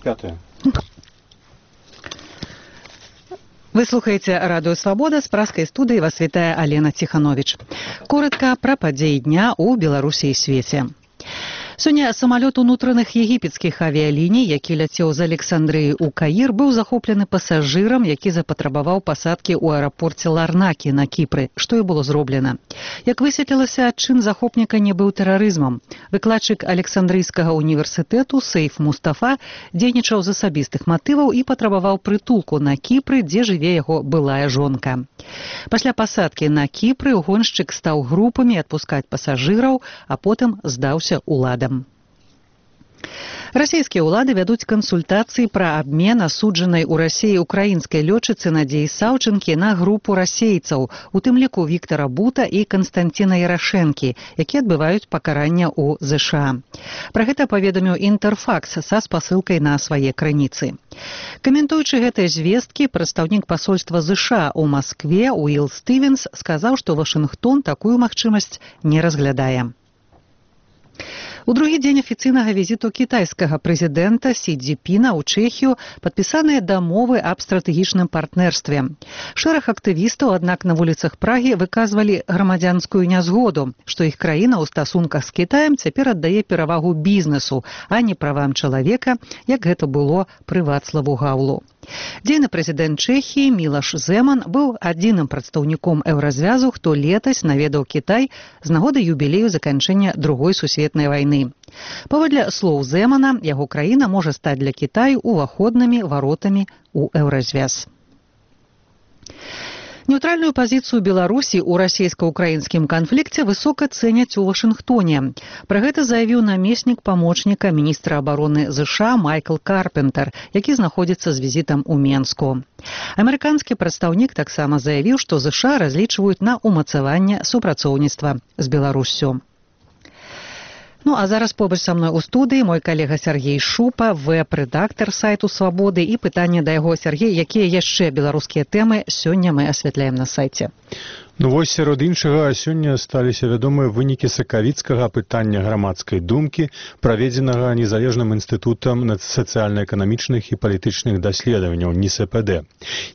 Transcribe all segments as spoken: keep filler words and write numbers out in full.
Пятое. Вы слухаете радио «Свобода». С праской студии вас вітае Алена Тиханович. Коротко про падзеі дня у Беларусі і свеце. Сёння самалёт унутраных егіпецкіх авіяліній, які ляцеў з Александрыі ў Каір, быў захоплены пасажырам, які запатрабаваў пасадкі ў аэрапорце Ларнакі на Кіпры, што і было зроблена. Як высветлілася, адчын захопніка не быў тэрарызмам. Выкладчык Александрыйскага універсітэту Сейф Мустафа дзейнічаў з асабістых матываў і патрабаваў прытулку на Кіпры, дзе жыве яго былая жонка. Пасля пасадкі на Кіпры гоншчык стаў групамі адпускаць пасажыраў, а потым здаўся уладам. Расійскія ўлады вядуць кансультацыі пра абмен асуджанай у Расіі украінскай лётчыцы Надзеі Саўчынкі на групу расейцаў, у тым ліку Віктара Бута і Канстанціна Ярашэнкі, якія адбываюць пакарання ў ЗША. Пра гэта паведаміў Інтэрфакс са спасылкай на свае крыніцы. Каментуючы гэтыя звесткі, прадстаўнік пасольства ЗША ў Маскве Уіл Стывенс сказаў, што Вашынгтон такую магчымасць не разглядае. У другі дзень афіцыйнага візіту кітайскага прэзідэнта Сі Цзіньпіна ў Чэхію падпісаныя дамовы аб стратэгічным партнерстве. Шэраг актывістаў, аднак, на вуліцах Прагі выказвалі грамадзянскую нязгоду, што іх краіна ў стасунках з Кітаем цяпер аддае перавагу бізнесу, а не правам чалавека, як гэта было пры Вацлаву Гаўлу. Дзейны прэзідэнт Чэхіі Мілаш Зэман быў адзіным прадстаўніком еўразвязу, хто летась наведаў Кітай з нагоды юбілею заканчэння Другой сусветнай вайны. Паводле слоў Зэмана, яго краіна можа стаць для Кітаю уваходнымі варотамі ў еўразвяз. Нейтральную пазіцыю Беларусі ў расійска-украінскім канфлікце высока цэняць у Вашынгтоне. Пра гэта заявіў намеснік памочніка міністра абароны ЗША Майкл Карпентер, які знаходзіцца з візітам у Менску. Амерыканскі прадстаўнік таксама заявіў, што ЗША разлічваюць на ўмацаванне супрацоўніцтва з Беларуссю. Ну, а зараз побач са мной у студыі мой калега Сергей Шупа, вэб-рэдактар сайту «Свабоды», і пытанне да яго. Сергей, якія яшчэ беларускія тэмы сёння мы асвятляем на сайце? Ну вось, сярод іншага, сёння сталіся вядомыя вынікі сакавіцкага апытання грамадскай думкі, праведзенага незалежным інстытутам сацыяльна-эканамічных і палітычных даследаванняў эн эс пэ дэ.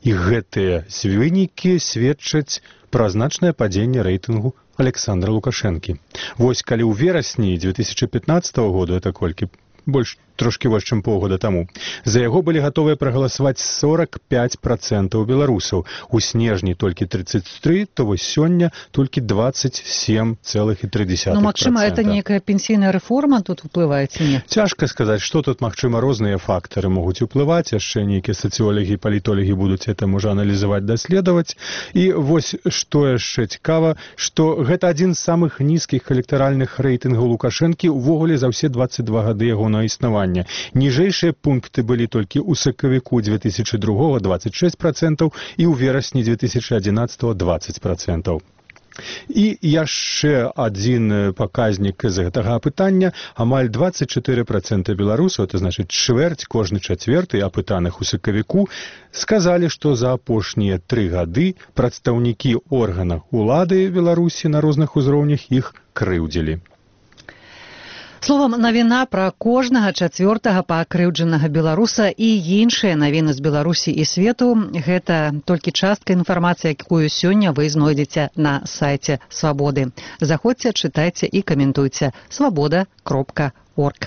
І гэтыя вынікі сведчаць пра значнае падзенне рэйтынгу Александра Лукашэнкі. Вось калі ў верасні дзве тысячы пятнаццатага году, это колькі больш трошкі больш чым паўгода таму, за яго былі гатовыя прагаласаваць сорок пять процентаў беларусаў, у снежні толькі тридцать три, то вось сёння толькі двадцать семь целых три десятых процента. Ну, магчыма, это нейкая пенсійная рэформа тут уплывае ці не? Цяжка сказаць, што тут, магчыма, розныя фактары могуць уплываць, яшчэ нейкія сацыёлагі і палітолагі будуць это можа аналізаваць, даследаваць. І вось што яшчэ цікава, што гэта адзін з самых нізкіх электаральных рэйтынгаў Лукашэнкі увогуле за ўсе двадцать два гады ягонага існавання. Ніжэйшыя пункты былі толькі ў сакавіку дзве тысячы другога двадцать шесть процентаў і ў верасні дзве тысячы адзінаццатага двадцать процентаў. І яшчэ адзін паказнік з гэтага апытання, амаль двадцать четыре процента беларусаў, это значыць чвэрць, кожны чацвёрты апытаных у сакавіку, сказалі, што за апошнія тры гады прадстаўнікі органаў улады Беларусі на розных узроўнях іх крыўдзілі. Словам, навіна пра кожнага чацвёртага пакрыўджанага беларуса і іншыя навіны з Беларусі і свету – гэта толькі частка інфармацыі, якую сёння вы знойдзеце на сайце «Свабоды». Заходзьце, чытайце і каментуйце. свабода кропка орг.